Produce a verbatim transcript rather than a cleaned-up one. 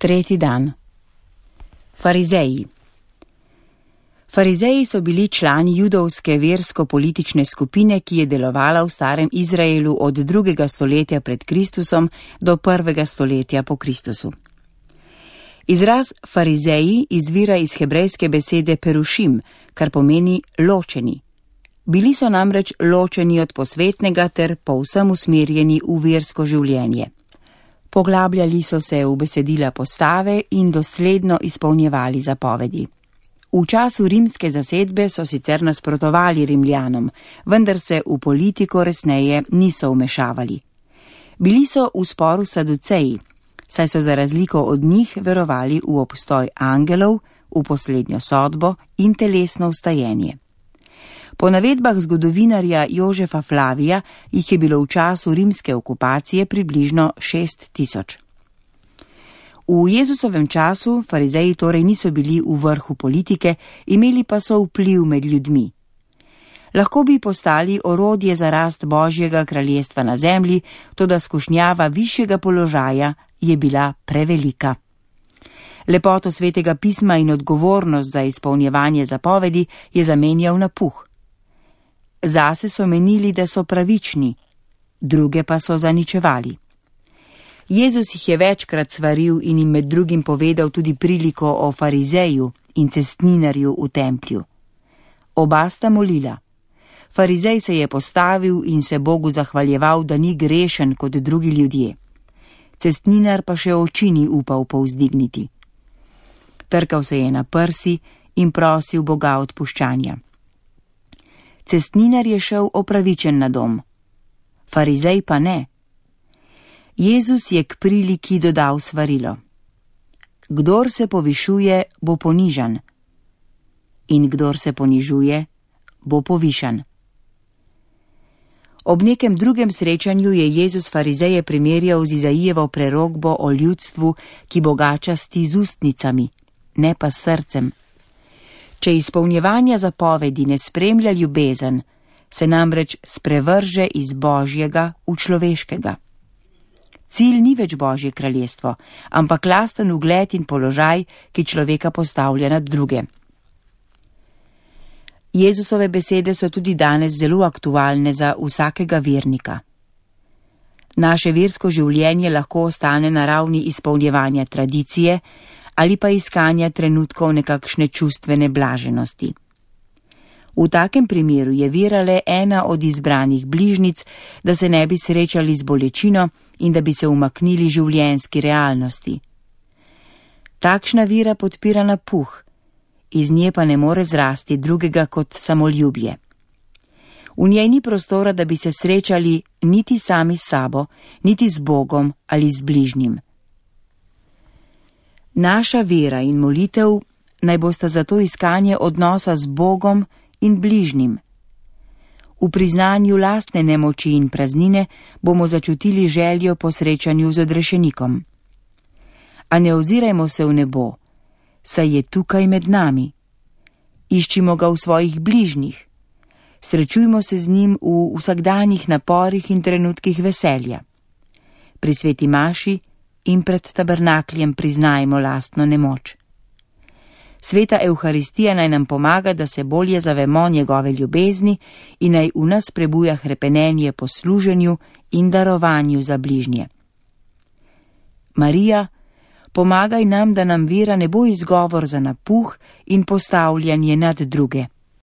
Tretji dan. Farizeji. Farizeji so bili člani judovske versko-politične skupine, ki je delovala v starem Izraelu od drugega stoletja pred Kristusom do prvega stoletja po Kristusu. Izraz farizeji izvira iz hebrejske besede perušim, kar pomeni ločeni. Bili so namreč ločeni od posvetnega ter povsem usmerjeni v versko življenje. Poglabljali so se v besedila postave in dosledno izpolnjevali zapovedi. V času rimske zasedbe so sicer nasprotovali Rimljanom, vendar se v politiko resneje niso vmešavali. Bili so v sporu s Saduceji, saj so za razliko od njih verovali v obstoj angelov, v poslednjo sodbo in telesno vstajenje. Po navedbah zgodovinarja Jožefa Flavija jih je bilo v času rimske okupacije približno šest tisoč. V Jezusovem času farizeji torej niso bili v vrhu politike, imeli pa so vpliv med ljudmi. Lahko bi postali orodje za rast Božjega kraljestva na zemlji, toda skušnjava višjega položaja je bila prevelika. Lepoto svetega pisma in odgovornost za izpolnjevanje zapovedi je zamenjal na puh. Zase so menili, da so pravični, druge pa so zaničevali. Jezus jih je večkrat svaril in jim med drugim povedal tudi priliko o farizeju in cestninarju v templju. Oba sta molila. Farizej se je postavil in se Bogu zahvaljeval, da ni grešen kot drugi ljudje. Cestninar pa še oči ni upal povzdigniti. Trkal se je na prsi in prosil Boga odpuščanja. Cestninar je šel opravičen na dom, farizej pa ne. Jezus je k priliki dodal svarilo. Kdor se povišuje, bo ponižan, in kdor se ponižuje, bo povišan. Ob nekem drugem srečanju je Jezus farizeje primerjal z Izaijevo prerokbo o ljudstvu, ki bogačasti z ustnicami, ne pa s srcem. Če izpolnjevanja zapovedi ne spremlja ljubezen, se namreč sprevrže iz Božjega v človeškega. Cilj ni več Božje kraljestvo, ampak lasten ugled in položaj, ki človeka postavlja nad druge. Jezusove besede so tudi danes zelo aktualne za vsakega vernika. Naše versko življenje lahko ostane na ravni izpolnjevanja tradicije ali pa iskanja trenutkov nekakšne čustvene blaženosti. V takem primeru je vera le ena od izbranih bližnic, da se ne bi srečali z bolečino in da bi se umaknili življenjski realnosti. Takšna vera podpira napuh, iz nje pa ne more zrasti drugega kot samoljubje. V njej ni prostora, da bi se srečali niti sami s sabo, niti z Bogom ali z bližnjim. Naša vera in molitev naj bosta zato iskanje odnosa z Bogom in bližnjim. V priznanju lastne nemoči in praznine bomo začutili željo po srečanju z odrešenikom. A ne ozirajmo se v nebo, saj je tukaj med nami. Iščimo ga v svojih bližnjih. Srečujmo se z njim v vsakdanjih naporih in trenutkih veselja. Pri sveti maši in pred tabernakljem priznajmo lastno nemoč. Sveta Evharistija naj nam pomaga, da se bolje zavemo njegove ljubezni in naj v nas prebuja hrepenenje po služenju in darovanju za bližnje. Marija, pomagaj nam, da nam vera ne bo izgovor za napuh in postavljanje nad druge.